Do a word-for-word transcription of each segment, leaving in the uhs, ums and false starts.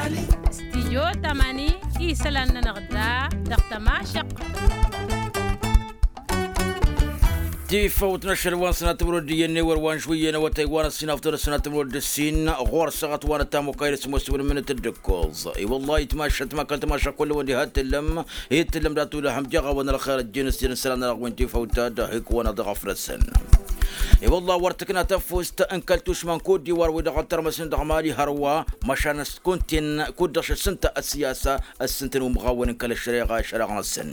Stijyo tamani isălan-nănăɣ da dăɣ-tămašăqq. Tifăwt n-ašăl wa n-sănatămăr wăr-dd-iyyăn ewăr wa n-žwǝyyăn awătay wa n-ăssinafăt wăr-ăssinatămăr wăr-dd-ǝssin ɣur-săɣăt wa n-ătamokayăl s-mosǝwăn mǝnǝt dd-ǝkkoẓ. I-wăllah itmašat ma kăl-tamašat kull-wăn diha t-tǝllăm. Hi t-tǝllăm dat-ulăhăm jeɣ-awăn ălxer ăjjeen s-jăn isălan-nănăɣ wi n-tifăwt ta d-ahǝkk-wăn ad-ăɣfrăsăn. I-wăllah wăr tǝkna tafust n-kăl-tušma n-kot-diwar wi dăɣ-ăltărmăsnen dăɣ-mali hărwa măšan s-kuntin kud-dăɣ šăssǝnta ăssiyasa ăssǝntăn umɣawăn n-kăl-ăššăreɣa ašăreɣ-năsăn.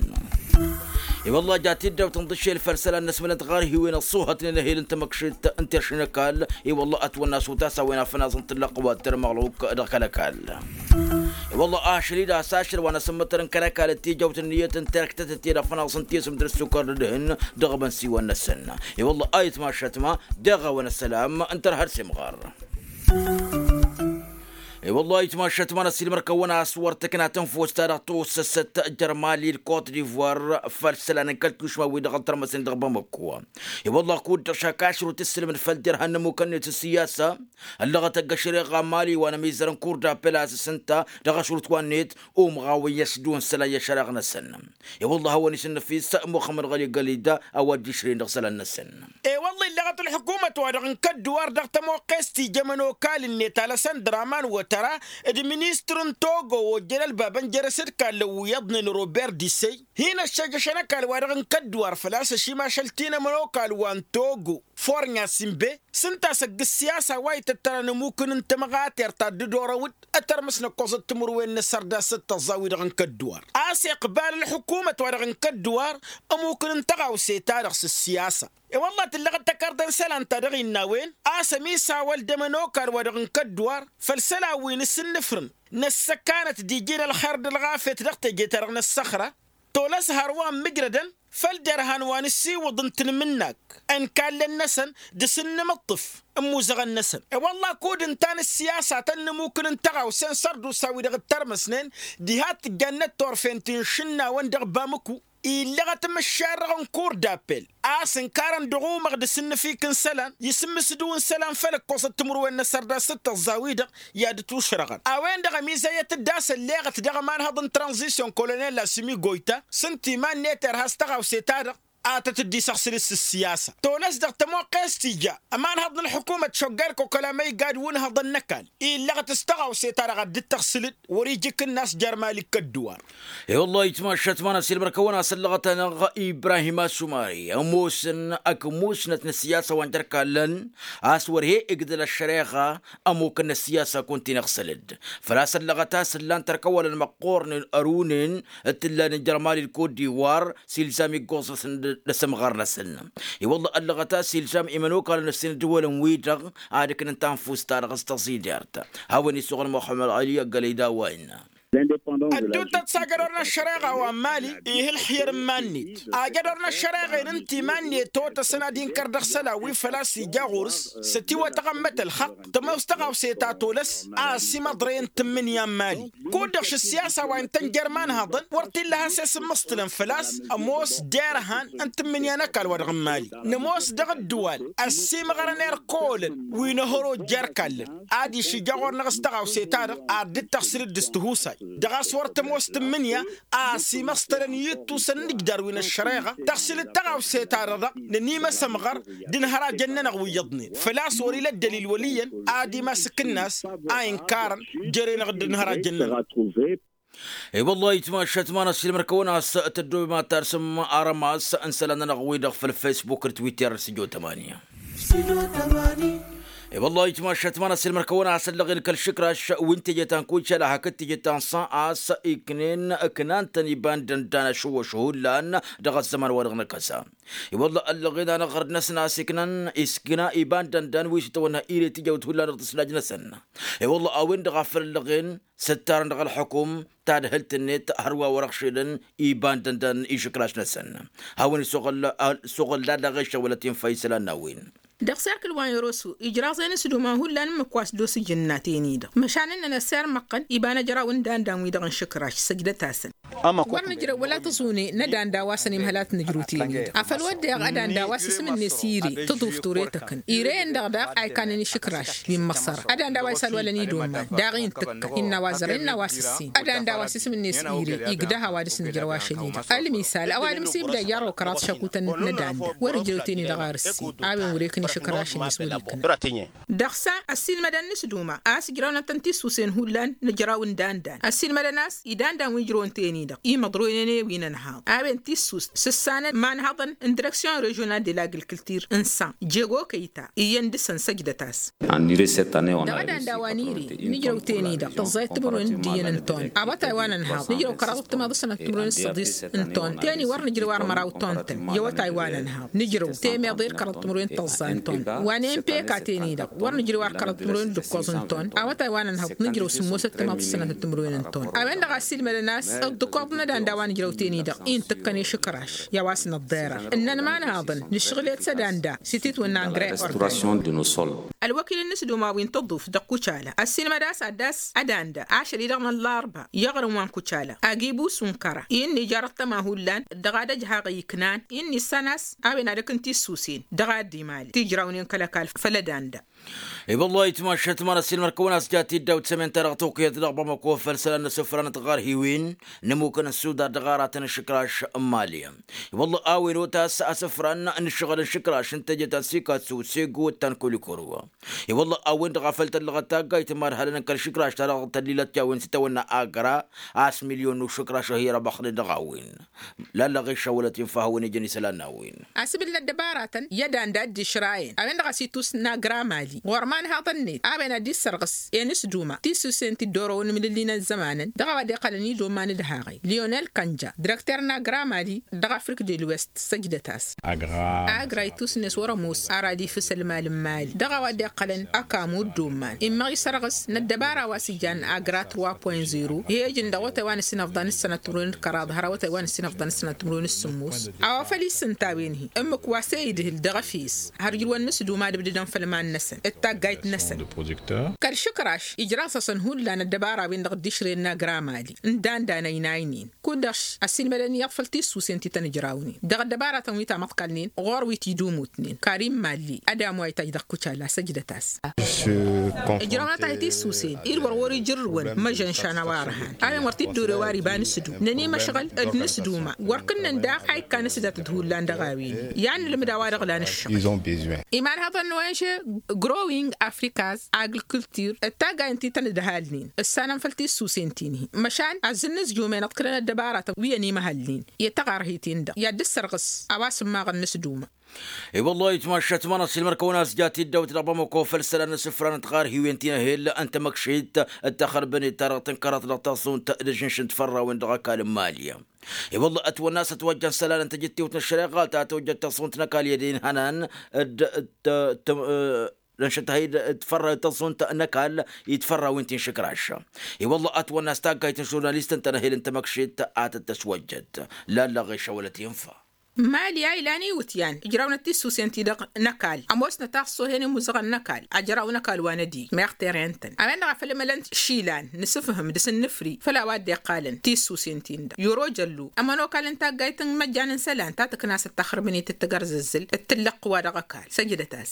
I-wăllah ja tiddawt n-iḍǝššel făll-isălan n-asmălăn d-ɣarhiwen ăṣṣuhătnen ehel n-tamăkšit n-terš n-ăkall. I-wăllah ătwănna s-utas a-wen afănaẓ n-tǝllăɣ wa t-tărmăɣluk dăɣ-kăl-ăkall. I-wăllah ašăl-i d-has ašăl wa n-asǝmmătăr n-kăl-ăkall ătijăwt ǝnniyăt n-terktătăt i-ad-afănaẓ n-tisǝm d-ăssukăr d-ǝdhǝn dăɣ-imănsiwăn-năsăn. I-wăllah a itmašat ma deɣ-awăn ăssălam n-tărha d-simɣar. I-wăllah itmašat ma n-ăssiilmăr-kăwăn a-s wăr tǝkna tǝnfust-ta-dăɣ tăwăssăsăt jer-mali d-kot-divoir făll-isălan n-kăl-tušma wi dăɣ-ăltărmăsnen dăɣ-bamăkko. I-wăllah kud-dăɣ šakašrut ǝssǝlmǝd făll-derhan n-ămmukăn-net s-siyasa ăllăɣăt ăgg-ašăreɣa n-mali wa n-ămizăr n-kur d-apel a-s ǝssǝnta dăɣ-ašrut wa-net umɣawăn i-ăsdun isălan i-ašăreɣ-năsăn. I-wăllah a-wen isǝnnǝfis muxămmăd ɣăli gălida a-wa dd-išrǝyăn dăɣ-isălan-năsăn. I-wăllah illăɣăt ălḥukumăt-wa-dăɣ n-kădduwar dăɣ-tămoqqest ija ămănokal-net alăsăn draman wătăra d-ministăr n-togo ojjăn ălbabăn jer-asǝdkallăn wi iyyăḍnen robert disey hin-ăššăjjăšăn ăkall-wa-dăɣ n-kădduwar făl-a-s ăšimašăl ti n-ămănokal wa n-togo fornya simbe s-ǝnta a-s ăgg-ǝssiyasa wa ităttărăn ămukǝn n-tămɣater ta dd-orăwăd ătărmăs n-ǝkkoẓăt timǝrwen n-asărdas d-tăẓẓa-wi-dăɣ n-kădduwar a-s iqbal ălḥukumăt-wa-dăɣ n-kădduwar ămukǝn n-tăɣawse-ta-dăɣ s-ǝssiyasa. I-wălla tǝllăɣăt tăkarḍe n-isălan ta dăɣ-innă a-wen a-s ămisawăl d-ămănokal-wa-dăɣ n-kădduwar făll-isălan wi n-asǝnnǝfrǝn n-ăssăkanăt d-iji n-ălxer d-ălɣafyăt dăɣ-teje-ta-dăɣ n-ăssăxra tolăs hărwa ămmǝjrădăn făll-derhan wa n-ǝssiwǝḍ n-tanmǝnnakt n-ikallăn-năsăn dăɣ-s n-inǝmǝṭṭǝf n-imuzăɣăn-năsăn. I-wălla kud ǝnta n-ǝssiyasa a tăn-nǝmukǝn n-tăɣawse n-sărdusa-wi-dăɣ ǝttărmăsnen diha t-tǝjjannăt turfen ti n-išǝnnawăn dăɣ-bamǝku illăɣăt imǝššarrăɣ n-kur d-appel a-s ǝnkarăn dăɣ-umăɣ d-asǝnnǝfik n-isălan isǝmmǝsdǝw n-isălan făll-ǝkkoẓăt timǝrwen n-asărdas d-tăẓẓa-wi-dăɣ i-ad-dd-tušrăɣăn. A-wen-dăɣ ămizăyăt-dd a-s ălleɣăt dăɣ-ămanhăḍ n-tranzisyon kolonel asǝmi goyta s-ǝnta iman-net irha s-tăɣawse-ta-dăɣ a tăt-dd-isăɣsǝl s-ǝssiyasa tolăs dăɣ-tămoqqest ija ămanhăḍ n-ălḥukumăt šoggay ălkokăl amăygad wi n-hăḍăn n-ăkall illăɣăt s-tăɣawse-ta-dăɣ ad-dd-tăɣsǝlăd wăr-ija ikǝnnas jer-mali n-kădduwar. I-wăllah itmašat ma n-asilmăr-kăwăn a-s ăllăɣăt-anăɣ ibrahim asumari ămoosăn ăkmusnăt n-ăssiyasa wa n-jer-kallăn a-s wăr he-igdăl ăššăreɣa ămukăn n-ăssiyasa kunta-in-iɣsălăd făl-a-s ăllăɣăt a-s ǝllan tărkăwălăn măqqoornen ărunen d-t-ǝllanen jer-mali d-kot-diwar s-ilzam iggoẓ-năsăn d-asǝmɣar-năsăn. I-wălla ăllăɣăt a-s ilzam imănokalăn-năsăn d-iwălăn-wi-dăɣ ad-ǝknăn tanfust-ta-dăɣ s-tăẓidert. Hawăn-isuɣǝl muxămmăd ɣali ăggălăy d-a-wa innă. Ădduuttăt s-ajădor n-ăššăreɣa wa n-mali ihǝlxǝyăr n-iman-net ajădor n-ăššăreɣa-en ǝnta iman-net otăsăn ad-inkăr dăɣ-isălan wi făl-a-s ija ɣur-s s-ătiwătăɣ ămmăt ălxăqq tămoos tăɣawse ta tolăs a ăsimăḍrăyăn tǝmmǝnǝya n-mali kud-dăɣ šǝssiyasa wa intăn jer-imanhăḍăn wăr t-illa a has-e-sǝmmǝṣtǝlăn făl-a-s ămoos derhan n-tǝmmǝnǝya n-ăkall-wa-dăɣ n-mali nămoos dăɣ-ǝddǝwal ăssiimɣărăn irkolăn wi n-ehăro jer-kallăn ad-išǝjja ɣur-năɣ s-tăɣawse-ta-dăɣ ad-dd-tăɣsǝlăd dăɣ-s tihusay dăɣ-a-s wăr tămoos tǝmmǝnǝya a ăsimăṣtălăn i-ǝttusăn n-ǝjdar wi n-ăššăreɣa tăɣsǝlăd tăɣawse-ta-dăɣ dăɣ-nănimăs ămɣăr d-inhărajăn-nănăɣ wi iyyăḍnen făl-a-s wăr-ila ăddălil wăl' iyyăn ad-imasǝk ǝnnas a inkărăn jer-enăɣ d-inhărajăn-nănăɣ. I-wăllah itmašat ma n-asilmăr-kăwăn a-s tăddoobem ad-tarsǝm arămas n-isălan-nănăɣ-wi-dăɣ făll-facebook d-twitter s-ijo tămani. I-wăllah itmašat ma n-asilmăr-kăwăn a-s ăllăɣen kăl-išǝkraš wi n-teje ta n-kucala hakd teje ta n-san a-s iknen ǝknan-tăn iba n-dăndan ašăwwăš hullan dăɣ-ăzzăman-wa-dăɣ n-akăsa. I-wălla ăllăɣen anăɣ ɣărd-năsăn a-s iknan iskna iba n-dăndan wi s-itwănna ire tijawt hullan dăɣ-tǝslaj-năsăn. I-wălla a-wen-dăɣ a făl ăllăɣen s-ǝttarăn dăɣ-ălxukum tadhǝlt-net hărwa wăr-ăɣšilăn iba n-dăndan išǝkraš-năsăn. Hawăn-isuɣǝl isuɣǝl d-ad-dăɣ-ešăwălăt infa isălan n-a-wen. Dăɣ-serkǝl wa n-eroso ijraẓen s-duma hullan ǝmmǝk wa s-dd-osǝjǝnnaten-i-dăɣ măšan ǝnnăn ăssirmăɣ-tăn iba n-ăjraw n-dandan-wi-dăɣ n-išǝkraš săjdăt-asăn. Wăr nǝjrăw wăla tăẓune n-ădanda wa s-ănimhălat nǝjrǝw tened afăl wădden ădanda wa s-isǝm-net ire tăḍuft ure tăkăn ire-en-dăɣ daɣ a ikanen išǝkraš wi n-măṣăra ădanda wa isălwalăn idoman daɣ-i n-tǝkkăn innă a-wa zărăn innă a-wa s-ǝssin ădanda wa s-isǝm-net ire igdăh a-wa dăr-s nǝjrăw ašăl-i-dăɣ ălmisal ăwadǝm s-ibda jarrăw kăraḍ šăkutăn n-ădanda wăr-ǝjrăw ten-i-dăɣ ar ǝssin a-wen wăr-ekăn išǝkraš-net wăr-ikăn. Dăɣ-sa ăssiilmădăn n-asduma a-s ǝjrawnătăn tissusen hullan nǝjraw n-dandan ăssiilmădăn a-s idandan wi ǝjrăwăn ten-i-dăɣ imăḍroynen i-wi n-ănhaḍ a-wen tissus s-ǝssanăn imanhaḍăn n-direksyon režional de la agricultur n-san jego kăyta iyyăn dăɣ-săn săjdăt-as. Dăɣ-ădanda wa n-ire nǝjrăw ten-i-dăɣ tăẓẓayăt timǝrwen d-iyyăn n-ton awătay wa n-ănhaḍ nǝjrăw kăraḍăt timaḍ s-sănăt timǝrwen s-săḍis n-ton ten-i wăr nǝjrǝw ar măraw ton-tăn i-awătay wa n-ănhaḍ nǝjrăw temeḍe d-kăraḍăt timǝrwen tăẓẓa n-ton wa n-empeka ten-i-dăɣ wăr nǝjrǝw ar kăraḍăt timǝrwen d-ǝkkoẓ n-ton awătay wa n-ănhaḍ nǝjrăw sǝmmosăt timaḍ s-sănăt timǝrwen n-ton a-wen-dăɣ a ăssiilmădăn a-s ǝḍḍǝkoḍ n-ădanda wa nǝjrăw ten-i-dăɣ i n-tǝkkăn išǝkraš i-a-wa s-nǝḍḍerar ǝnnăn imanhaḍăn nǝšɣǝl-et s-ădanda s-ititwǝnna n-gre. Ălwăkil n-inǝsduma wi n-tăḍuft dăɣ-kucala ăssiilmăd a-s ad-dd-ass ădanda ašăl-i-dăɣ n-ăllarba i-iɣrǝm wa n-kucala agibus n-kăra-i ǝnni jarăt tăma hullan dăɣ-ad-ăjhaɣ iknan-i ǝnni ǝssan a-s a-wen ad-ăkk n-tissusen dăɣ-ad-dd-imali tijrawnen kăl-ăkall făll-ădanda. I-wăllah itmašat ma n-ăssiilmăd-kăwăn a-s jat-dd-awt sămen-ta-dăɣ tukyăt dăɣ-bamako făll-isălan n-asǝfran n-tiɣarhiwen n-ămmuk n-ăssudar dăɣ-aratăn n-išǝkraš n-mali. I-wăllah a-wen otas asǝfran n-ǝššăɣǝl n-išǝkraš n-teje ta n-sikatsu segu d-ta n-kulikuru. I-wăllah a-wen-dăɣ a făl-tăllăɣăt taggayt n-imadhălăn n-kăl-išǝkraš-ta-dăɣ tăllilăt i-a-wen s-itawănna agra a-s milyon n-ušǝkraš a hi-răbăxnen dăɣ-a-wen. Lallăɣ išawălăt infa hawăn-ijăn isălan n-a-wen. Asǝbǝl n-ăddăbaratăn i-ădanda a dd-išrayăn a-wen-dăɣ a-s itus n-agra mali ɣur-imanhaḍăn-net a-wen ad-dd-issărɣǝs i-inǝsduma tissusen ti dd-orăwăn imlǝlli n-ăzzămanăn dăɣ-a-wa dd-iqqălăn idoman d-haɣăy lionel kănja direkter n-agra mali dăɣ-afrik de l'ouest săjdăt-as. Agra itus-net wăr-ămoos ar ad-ifǝs ălmal n-mali dăɣ-a-wa dd-iqqălăn ăkamu d-umman immăɣ isărɣǝs n-ăddăbara wa s-ijan agra trois point zero hi-ăjǝn dăɣ-awătay wa n-ǝssinăfḍan s-sănăt timǝrwen d-kăraḍ har awătay wa n-ǝssinăfḍan s-sănăt timǝrwen s-sǝmmos. A-wa făl-issǝnta a-wen-hi ǝmmǝk wa s-e-idhǝl dăɣ-efes har ǝjrǝwăn n-asǝdum ad-ǝbdǝdăn făll-iman-năsăn d-taggayt-năsăn. Kăl-išǝkraš ijraẓ-asăn hullan ăddăbara-wen-dăɣ dd-išrăyăn n-agramali n-dandan ăynaynen kud-dăɣ ăssiilmădăn iyyăḍ făll-tissusen ti tăn-ǝjrawnen dăɣ-ăddăbaratăn wi tamăḍkalnen ɣur-wi tidumutnen karim malli ădamu a itaj dăɣ-kucala săjdăt-as. Ǝjrăwnăt-ahi tissusen-i d-wăr wăr-ijărrǝwăn măžănšan a-wa ărhan a-wen wăr t-dd-orew ar iba n-asǝdum nănimăšɣăl d-inǝsduma wăr kǝnnăn daɣ a ikkan asǝdatăt hullan dăɣ-a-wen. I-ad-nǝlmǝd a-wa-dăɣ lan ǝššăɣǝl imanhăḍăn n-ong growing afrikas agricultur d-taggay n-ti tăn-ǝdhalnen ǝssanăn făll-tissusen-tin-hi măšan azzǝnnǝzjumen ăḍkǝlăn ăddăbaratăn wi ănimăhălnen i-taɣarhit-in-dăɣ i-ad-dd-ǝssărɣǝs a-wa s-ǝmmaɣăn n-asǝduma. I-wăllah itmašat ma n-ăssiilmăr-kăwăn a-s jat-dd-awǝt dăɣ-bamako făll-isălan n-asǝfran n-tiɣarhiwen ti n-ehel n-tamăkšit d-taxărbănet ta dăɣ-tǝnkăraḍ dăɣ-taẓẓunt d-ažǝnš n-tifărrawen dăɣ-ăkall n-mali. I-wăllah ătwănna a-s ătwăjjăn isălan n-tajǝttiwt n-ăššăreɣa ta tojjăt taẓẓunt n-ăkall i-ad-inhănan d-t-t-ănšăt-hi-dd tifărra taẓẓunt n-ăkall i-tifărrawen ti n-išǝkraš. I-wăllah ătwănna a-s taggayt n-žurnalist n-tănăhel n-tamăkšit a tăt-tăswăjjăt. Lallăɣ išăwălăt infa. Mali a ilan iwǝtyan ǝjrawnăt tissusen-ti-dăɣ n-ăkall ămoosnăt a ăṣṣohen imuzăɣăn n-ăkall ajraw n-ăkall wa n-ădii meɣ terren-tăn a-wen-dăɣ a făl imălăn išilan n-asǝfhǝm dăɣ-s ǝnnǝfri făll-a-wa dd-iqqalăn tissusen-tin-dăɣ i-oro jăllu ămănokal n-taggayt n-imăjjan n-isălan ta tǝkna s-ăttăxrǝbǝnet d-tagărzăzzǝl d-tǝllăɣ-t wa dăɣ-ăkall săjdăt-as.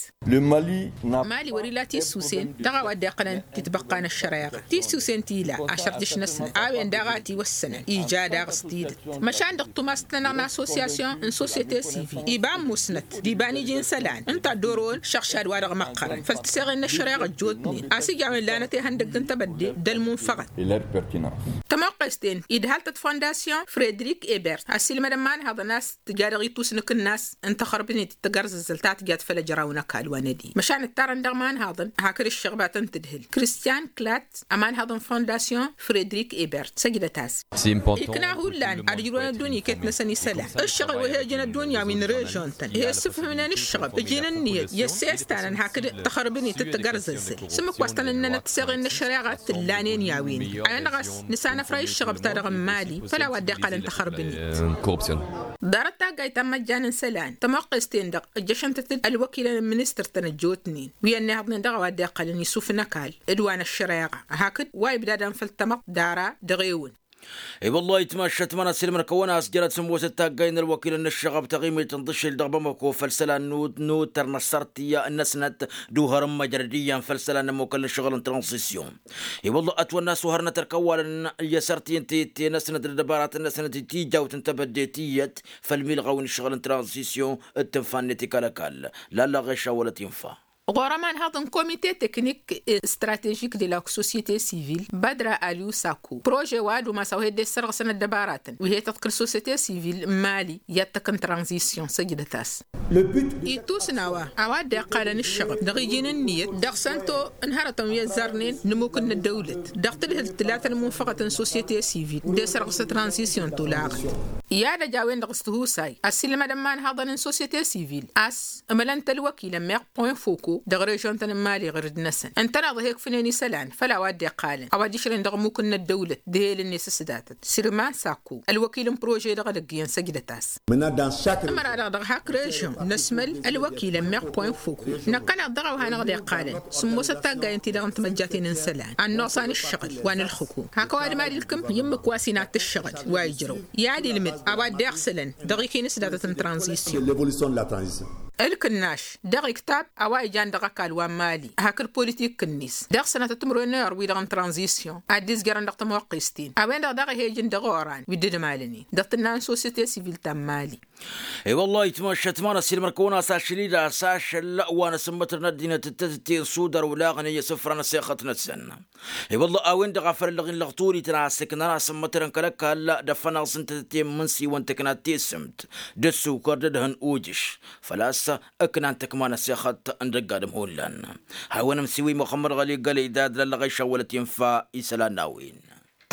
Mali wăr-ila tissusen dăɣ-a-wa dd-iqqălăn titbăqqa n-ăššăreɣa tissusen ti ila ašărjǝš-năsnăt a-wen daɣ a tiwăssănăn ija daɣ s-tidǝt măšan dăɣ-tumast-nănăɣ n-assosyasyon n-sosyete sivil iba ămmusnăt d-iba n-iji n-isălan ǝnta dd-orăwăn šăɣšad wa dăɣ-măqqărăn făll-tiseɣen n-ăššăreɣa ăjjootnen a-s ija a-wen lanăt ihăndăgg n-tebădde d-ălmunfăɣăt. Tămoqqes-ten idhal-tăt fondasyon fredrik ebert ăssiilmădăn imanhăḍăn a-s tǝja dăɣ-itusnǝk-năs n-taxărbǝnet d-tagărzăzzălt ta tǝjat făll-ăjraw n-ăkall wa n-ădii măšan ǝttarăn dăɣ-imanhăḍăn hakd ǝššăɣbatăn tǝdhǝl kristian klat ămanhăḍ n-fondasyon fredrik ebert săjdăt-as. Ikna hullan ad-ǝjrǝwăn ăddunya iket-năsăn isălan ǝššăɣǝl wa he-ǝjǝn ăddunya wi n-režon-tăn he-ǝssǝfhǝmnen ǝššăɣǝb ǝjǝn ǝnniyăt i-ăssestan n-hakd taxărbǝnet d-tagărzăzzăl s-ǝmmǝk wa s-tăn-ǝnnăn ăttăseɣen n-ăššăreɣa t-ǝllanen i-a-wen-dăɣ a-wen-dăɣ a-s nǝsanăfray ǝššăɣǝb-ta-dăɣ n-mali făll-a-wa dd-iqqalăn taxărbǝnet. Ḍarăt taggayt ta n-imăjjan n-isălan tămoqqes-ten-dăɣ ǝjjăšăn-tăt-dd ălwăkilăn n-ministăr-tăn ăjjootnen wi ănnihăḍnen dăɣ-a-wa dd-iqqalăn isuf n-ăkall d-wa n-ăššăreɣa hakd wa ibdadăn făll-tamăḍt d-ara dăɣ-ewǝn. I-wălla itmaššăt mănăs ilmăn kăwăn-as jărăt sǝmmosăt taggayăn ălwăkilăn n-ǝššăɣăb taɣimit n-tǝššil dăɣ-bamăko făll-isălan n-uttăr n-ăssărtǝyya n-ăsnăt d-uhărăn măjrăd iyyăn făll-isălan n-ămmukăl n-ǝššăɣǝl n-tranzisyon. I-wălla ătwănna a-s uhărnăt ărkăwalăn i-asărtǝyăn tete-năsnăt d-ăbaratăn-năsnăt d-tijawt n-tebădde tiyyăt făll-milɣaw n-ǝššăɣǝl n-tranzisyon d-tǝnfa-net ikal-ăkall. Lalla ɣešawălăt infa. Ɣur-ămanhăḍ n-komite teknik stratežik de la sosyete sivil badra aliu sako prože wa d-umas a-wa he-dd-issărɣǝsăn ăddăbaratăn wi he-tăḍkǝl sosyete sivil n-mali i-ad-tăkk n-tranzisyon săjdăt-as. Ittus n-a-wa a-wa dd-iqqalăn ǝššăɣăb dăɣ-iji n-ǝnniyăt dăɣ-săn to n-hărătăn wi ăzzarnen n-ămmuk n-ăddăwlăt dăɣ-tǝdhǝlt tǝlatăn munfăɣăt n-sosyete sivil d-esărɣǝs tranzisyon tolaɣăt. I-ad-ăj a-wen-dăɣ s-tihusay ăssiilmădăn imanhaḍăn n-sosyete sivil a-s ǝmălăn-t ălwăkil ămmiɣ point foko dăɣ-režon-tăn n-mali ɣǝr-dd-năsăn ǝntăneḍ a he-ǝkfǝnen isălan făll-a-wa dd-iqqalăn a-wa dd-išrăyăn dăɣ-ămmuk n-ăddăwlăt d-ehelăn-net s-datăt sirman sakko ălwăkil n-prože dăɣ-edăgg iyyăn săjdăt-as. Ǝmăra-dăɣ dăɣ-hak režon năsmăl ălwăkil ămmiɣ point foko năkkăneḍ dăɣ-a-wa hanăɣ-dd-iqqalăn sǝmmosăt taggayen-ti-dăɣ n-timăjjaten n-isălan ad-noẓan ǝššăɣǝl wa n-ǝlxǝkum hak ăwadǝm ad-ilkǝm i-ǝmmǝk wa s-inat ǝššăɣǝl wa ijrăw i-ad-ilmǝd a-wa dd-iɣsǝlăn dăɣ-iken s-datăt n-tranzisyon. Ǝlkǝnnaš dăɣ-iktab a-wa ijan dăɣ-ăkall wa n-mali hakd politik-net dăɣ-sănatăt timǝrwen n-ewăr-wi-dăɣ n-tranzisyon ad-dd-izjărăn dăɣ-tămoqqes-ten a-wen-dăɣ daɣ ih' ejǝn dăɣ-oran wi dd-ǝmalăn-in dăɣ-tǝnna n-sosiyete sivil ta n-mali. I-wăllah itmaššăt ma n-ăssiilmăr-kăwăn-as ašăl-i d-asăšăl wa n-asǝmmătăr n-ăddinăt d-tetătte n-sudar olaɣăn i-asǝfra n-asexăt-năsăn. I-wălla a-wen-dăɣ a făl ăllăɣ-in lăɣturităn a ăssǝknăn asǝmmătărăn kăl-ăkall d-afănaẓ n-tetătte n-imǝnsiwăn tǝknat tesǝmt d-ǝssukăr d-ădhăn ujǝš făl-a-s ǝknan tăkma n-asexăt n-dăgg-adǝm hullan. Hawăn-ămsiwǝy muxămmăd ɣăli gălăydad lăllăɣ a išawălăt infa isălan n-a-wen.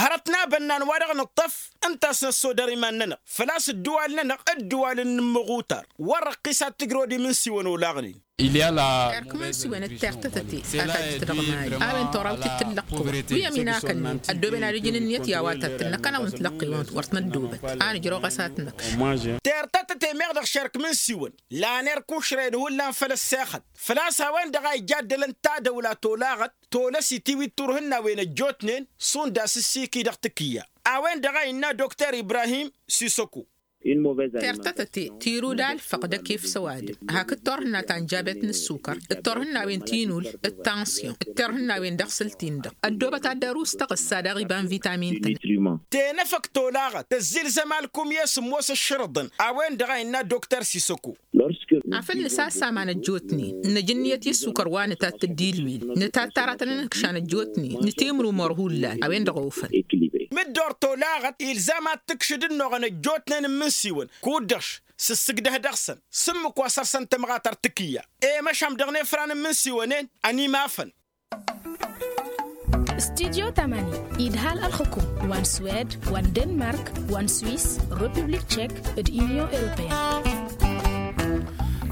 Hărăt n-abănnan wa dăɣ-nǝṭṭăf ǝnta a-s năssodăr iman-nănăɣ făl-a-s ǝddǝwal-nănăɣ ǝddǝwal n-inǝmmǝɣ utar wăr-ăqqis ad-tǝjrăwăd imǝnsiwăn olaɣnen. Ert imǝnsiwăn d-tertătăte a tajjăt dăɣ-mali a-wen torawt-dd tǝllăqqǝwăn wi ăminakănnen ăddooben ad-ǝjǝn ǝnniyăt i-a-wa tattǝl năkkăneḍ n-tilăqqǝwăn wăr tăn-ăddoobăt a nǝjrăw ɣas ad-t-năkš. Tertătăte meɣ dăɣ-šerk imǝnsiwăn lan erk ušrăyăn hullan făll-ăssexăt făl-a-s a-wen-dăɣ a ija ăddălăn tadăwla tolaɣăt tolăsit-i wi t-turhǝnnawen ăjjootnen šund asǝssiki dăɣ-tǝkǝyya. A-wen-dăɣ a innă dokter ibrahim sisăku. Tertătăte tirud alfăq d-ekef s-ăwadǝm hakd turhǝnna ta n-jabet n-ǝssukăr d-turhǝnnawen tinul d-tansyon d-turhǝnnawen dăɣ-săl-tin-dăɣ ăddoobăt ad-dăr-us tăɣǝssa daɣ iba n-vitamin-tăn. Tenăfăk tolaɣăt tăzzilzăm alkum i-sǝmmos ǝššărǝḍăn a-wen-dăɣ a innă dokter sisăku. Afăl nǝsassaman ăjjootnen năj ǝnniyăt i-ǝssukăr wa nǝtattăd d-ilwil nǝtatt aratăn n-inǝkšan ăjjootnen nǝtimrumor hullan a-wen-dăɣ ofăn. Mǝddoor tolaɣăt ilzam ad-tǝkšǝd ǝnnuɣăn ăjjootnen n-imǝnsiwăn kud-dăɣ s-ǝssǝgdăh dăɣ-săn s-ǝmmǝk wa săr-săn tămɣatăr tǝkǝyya. I-măšan dăɣ-nefra n-imǝnsiwăn-en ănimafăn. Studyo tamani idhal ălxǝkum wa n-swed wa n-denmark wa n-swis, republik tšek d-unyon europeyăn.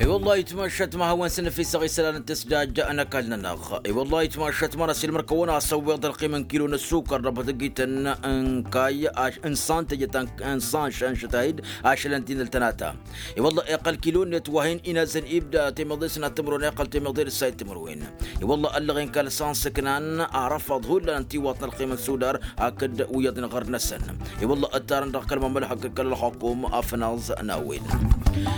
I-wăllah itmaššăt ma hawăn-săn ăfisăɣ isălan n-tǝsdaj n-ăkall-nănăɣ. I-wăllah itmaššăt ma n-ăsilmăr-kăwăn-asăwweḍ ălqim n-kilo n-ăssukăr dăɣ-bătăgităn n-kayy n-san tejăt n-san šănšăt a-id ašălăn tinǝl tănata. I-wălla iqqăl kilo-net wa hin-inazăn ibda temeḍe s-inat timǝrwen iqqăl temeḍe d-ǝssayăt timǝrwen. I-wălla ăllăɣen kăl-san s-ǝknan arăfăḍ hullan ăntiwăḍ n-ălqim n-sudar hakd wi iyyăḍnen ɣărd-năsăn. I-wălla ǝttarăn dăɣ-kăl-mamălhăk d-kăl-ălxukum afnaẓ n-a-wen.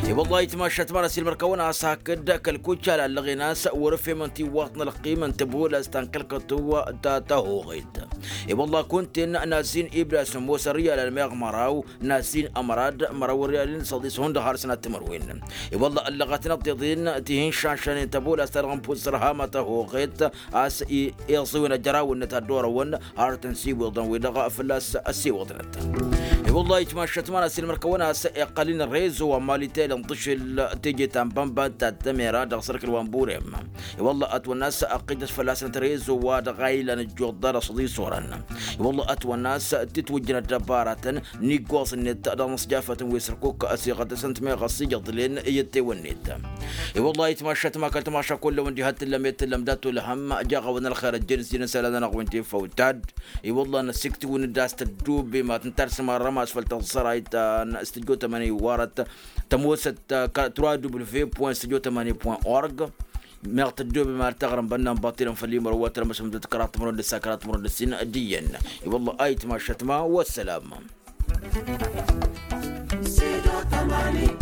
I-wălla itmašăt ma n-ăsilmăr-kăwăn-as hakd kăl-kuccal ăllăɣen a-s wăr-ǝfhem ăntiwăḍ n-ălqim n-tăbulăst ta n-kăl-kătuw ta tăhoɣet. I-wălla kunta-en n-azzin ibda s-ămoos ăryalăn meɣ măraw n-azzin ămrad măraw ăryalăn s-ăḍis hundăɣ har sănat timǝrwen. I-wălla ăllăɣăt n-ăḍḍeḍen ti hin-šanšanen tăbulăst ta dăɣ-nǝfus sărhama tăhoɣet a-s iẓǝwen ăjăraw-net ad-dd-orăwăn har tăn-siwǝḍăn-wi-dăɣ fălla-s ăssiwǝḍnăt. I-wălla itmašăt ma n-asilmăr-kăwăn a-s iqqăl-in rezo wa n-malitel n-tǝšǝl teje ta n-bănbad ta d-tămera dăɣ-sărkǝl wa n-burem. I-wălla ătwănna a-s ăqqijăt fălla-săn trezo wa dăɣ-a ilan ăjjuḍ dăr-s ăḍisorăn. I-wălla ătwănna a-s titwǝjjăn ăddăbaratăn n-iggoẓ-net dăɣ-inǝsjafătăn wi s-ărkuk ăsiɣăt-năsăn timeɣăs ijăḍlen i-ăttewăn-net. I-wălla itmašăt ma kăl-timaša kull-ăwăn diha t-tǝllăm i-tǝllăm dat-olhăm jaɣ-awăn ălxer ăjjăn s-jăn isălan-nănăɣ wi n-tifăw tad. I-wălla năsiktǝwăn-dd a-s tăddubi ma tǝnta ar s-marrăm a-s făll-taẓẓărayt ta n-studyo tămăni warăt tămoosăt ta n-tămăni point org. Meɣ tăddoobem ar taɣrǝm bănnan baṭilăn făll-imărwăt rămăšăm d-kăraḍ timărwen d-ǝssa kăraḍ timărwen d-ǝssin d-iyyăn. I-wălla ayǝtma ašătma wăssălam. Sido tamani.